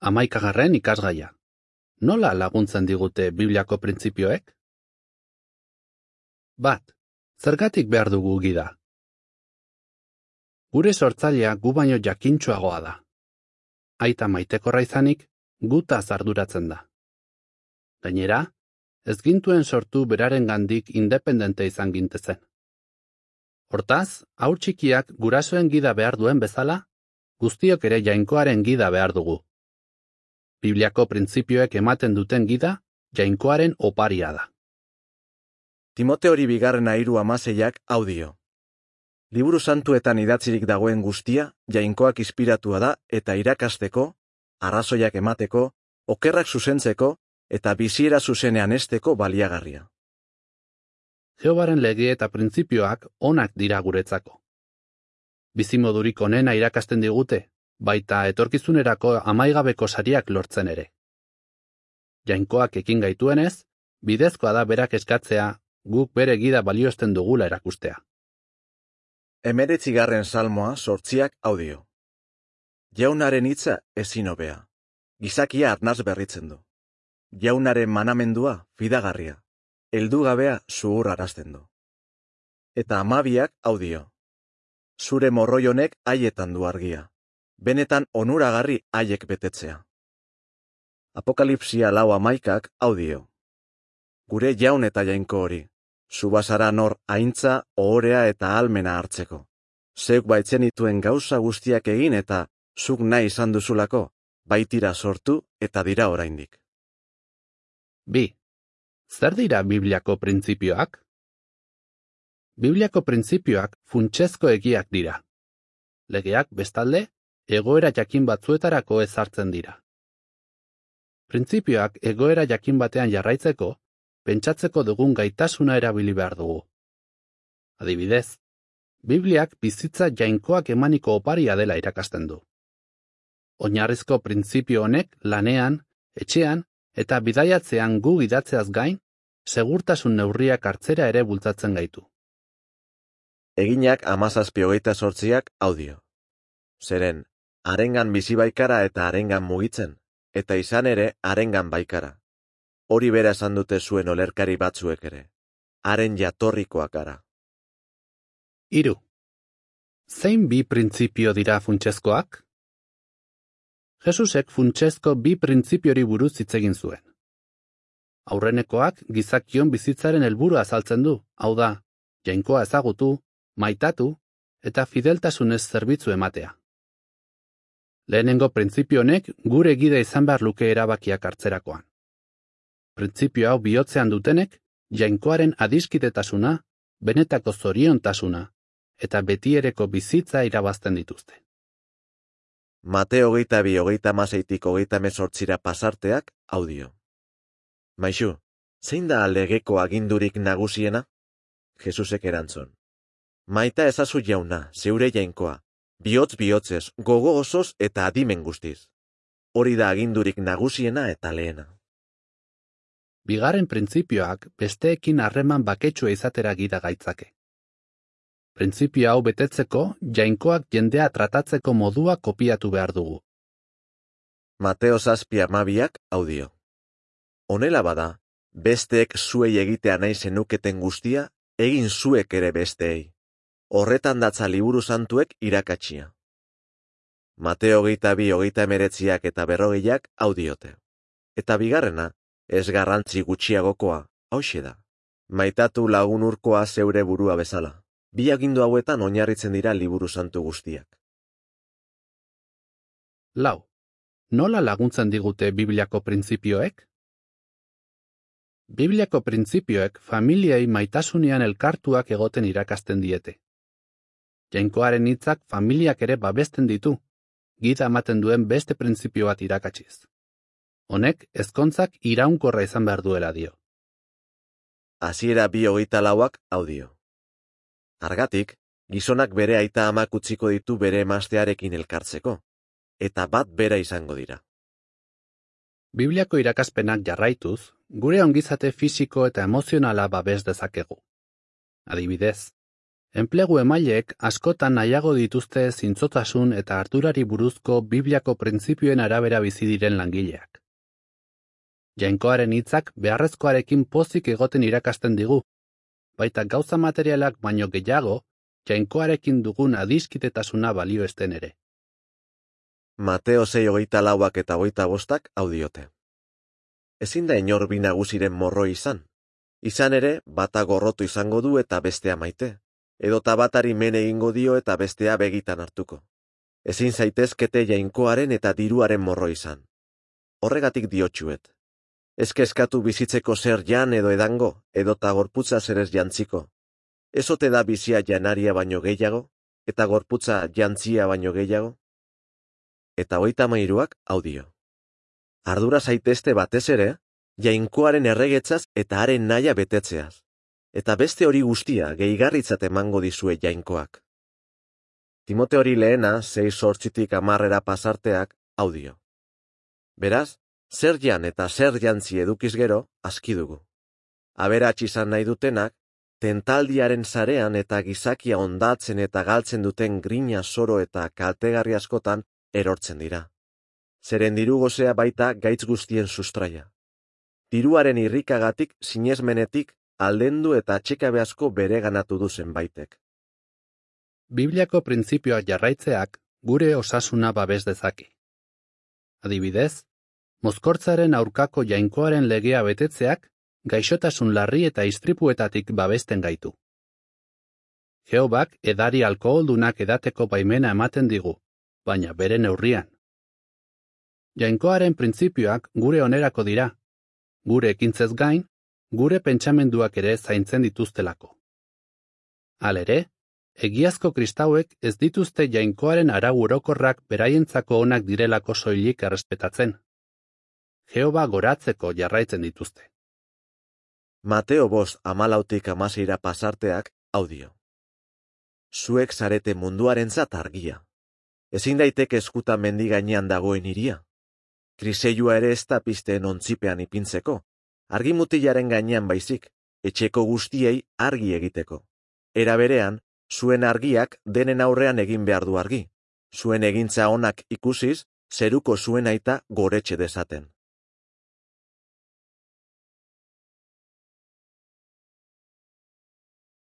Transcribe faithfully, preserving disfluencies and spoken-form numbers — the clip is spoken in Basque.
Hamaikagarren ikasgaia. Nola laguntzen digute Bibliako printzipioek? Bat. Zergatik behar dugu gida? Gure sortzailea gu baino jakintsuagoa da. Aita maitekorra izanik, gutaz arduratzen da. Gainera, ez gintuen sortu beraren gandik independente izan gintezen. Hortaz, haur txikiak gurasoen gida behar duen bezala, guztiok ere jainkoaren gida behar dugu. Bibliako printzipioek ematen duten gida, jainkoaren oparia da. Timoteori bigarrena hiru hamaseiak audio. Liburu santuetan idatzirik dagoen guztia, jainkoak inspiratua da eta irakasteko, arrazoiak emateko, okerrak zuzentzeko eta biziera zuzenean hesteko baliagarria. Jehovaren lege eta printzipioak onak dira guretzako. Bizimodurik onena irakasten digute, baita etorkizunerako amaigabeko sariak lortzen ere. Jainkoak ekin gaituenez, bidezkoa da berak eskatzea, guk bere gida balioesten dugula erakustea. Hemeretzigarren salmoa sortziak audio. Jaunaren hitza ezin hobea. Gizakia arnaz berritzen du. Jaunaren manamendua fidagarria. Heldugabea zuhurrarazten du. Eta hamabiak audio. Zure morroi honek haietan du argia. Benetan onuragarri haiek betetzea. Apokalipsia lau hamaikak audio. Gure jaun eta jainko hori. Zubazara nor aintza, ohorea eta almena hartzeko. Zeuk baitzen ituen gauza guztiak egin eta zuk nahi izan duzulako, baitira sortu eta dira oraindik. Bi. Zer dira Bibliako printzipioak? Bibliako printzipioak funtsezko egiak dira. Legeak, bestalde, egoera jakin batzuetarako ezartzen dira. Printzipioak egoera jakin batean jarraitzeko, pentsatzeko dugun gaitasuna erabili behar dugu. Adibidez, Bibliak bizitza jainkoak emaniko oparia dela irakasten du. Oinarrizko printzipio honek lanean, etxean eta bidaiatzean gu gidatzeaz gain, segurtasun neurriak hartzera ere bultzatzen gaitu. Eginak hamazazpi hogeita zortziak audio. Zeren, harengan bizi baikara eta harengan mugitzen, eta izan ere harengan baikara. Hori bera esan dute zuen olerkari batzuek ere. Haren jatorrikoak gara. Hiru. Zein bi printzipio dira funtsezkoak? Jesusek funtsezko bi printzipiori buruz hitz egin zuen. Aurrenekoak gizakion bizitzaren helburua azaltzen du, hau da, jainkoa ezagutu, maitatu eta fideltasunez zerbitzu ematea. Lehenengo printzipio honek gure gida izan behar luke erabakiak hartzerakoan. Printzipio hau bihotzean dutenek, jainkoaren adiskidetasuna, benetako zoriontasuna eta betiereko bizitza irabazten dituzte. Mateo hogeita bi hogeita hamaseitik hogeita hemezortzira pasarteak audio. Maixu, zein da legeko agindurik nagusiena? Jesusek erantzun. Maita ezazu jauna, zeure jainkoa, bihotz bihotzez, gogo osoz eta adimen guztiz. Hori da agindurik nagusiena eta lehena. Bigarren printzipioak besteekin harreman baketsua izatera gida gaitzake. Printzipio hau betetzeko, jainkoak jendea tratatzeko modua kopiatu behar dugu. Mateo zazpi hamabiak audio. Honela bada, besteek zuei egitea nahi zenuketen guztia, egin zuek ere besteei. Horretan datza liburu santuek irakatsia. Mateo hogeita bi hogeita hemeretziak eta berrogeiak audiote. Eta bigarrena, ez garrantzi gutxiagokoa, hauxe da. Maitatu lagun urkoa zeure burua bezala. Bi agindu hauetan oinarritzen dira liburu santu guztiak. Lau. Nola laguntzen digute Bibliako printzipioek? Bibliako printzipioek familiei maitasunean elkartuak egoten irakasten diete. Jainkoaren hitzak familiak ere babesten ditu, gida ematen duen beste printzipio bat irakatsiz. Honek ezkontzak iraunkorra izan behar duela dio. Hasiera bi hogeita lauak audio. Hargatik, gizonak bere aita amak utziko ditu bere emaztearekin elkartzeko, eta bat bera izango dira. Bibliako irakaspenak jarraituz, gure ongizate fisiko eta emozionala babes dezakegu. Adibidez, Enplegu emaileek askotan nahiago dituzte zintzotasun eta ardurari buruzko Bibliako printzipioen arabera bizi diren langileak. Jainkoaren hitzak beharrezkoarekin pozik egoten irakasten digu, baita gauza materialak baino gehiago, jainkoarekin dugun adiskidetasuna balioesten ere. Mateo sei hogeita lauak eta hogeita bostak hau diote. Ezin da inor bi nagusiren morroi izan. Izan ere, bata gorrotu izango du eta bestea maite, edota batari men egingo dio eta bestea begitan hartuko. Ezin zaitezkete jainkoaren eta diruaren morroi izan. Horregatik diotsuet. Ez kezkatu bizitzeko zer jan edo edango, edota gorputza zerez jantziko. Ez ote da bizia janaria baino gehiago, eta gorputza jantzia baino gehiago? Eta hogeita hamairuak hau dio. Ardura zaitezte batez ere, jainkoaren erregetzaz eta haren nahia betetzeaz, eta beste hori guztia gehigarritzat emango dizue jainkoak. Timote hori lehena, sei zortzitik hamarrera pasarteak hau dio. Beraz, zer jan eta zer jantzi edukiz gero, aski dugu. Aberats izan nahi dutenak, tentaldiaren sarean eta gizakia ondatzen eta galtzen duten grina zoro eta kaltegarri askotan erortzen dira. Zeren diru gozea baita gaitz guztien sustraia. Diruaren irrikagatik sinesmenetik aldendu eta atxekabe asko bereganatu du zenbaitek. Bibliako printzipioak jarraitzeak gure osasuna babes dezake. Adibidez, mozkortzaren aurkako jainkoaren legea betetzeak gaixotasun larri eta istripuetatik babesten gaitu. Jehobak edari alkoholdunak edateko baimena ematen digu, baina bere neurrian. Jainkoaren printzipioak gure onerako dira, gure ekintzez gain, gure pentsamenduak ere zaintzen dituztelako. Halere, egiazko kristauek ez dituzte jainkoaren arau orokorrak beraientzako onak direlako soilik errespetatzen. Jehova goratzeko jarraitzen dituzte. Mateo bost hamalautik hamaseira pasarteak hau dio. Zuek zarete munduarentzat argia. Ezin daiteke eskuta mendi gainean dagoen hiria. Kriseilua ere ez da pizteen ontzipean ipintzeko, argimutilaren gainean baizik, etxeko guztiei argi egiteko. Era berean, zuen argiak denen aurrean egin behar du argi. Zuen egintza onak ikusiz, zeruko zuen aita goretxe dezaten.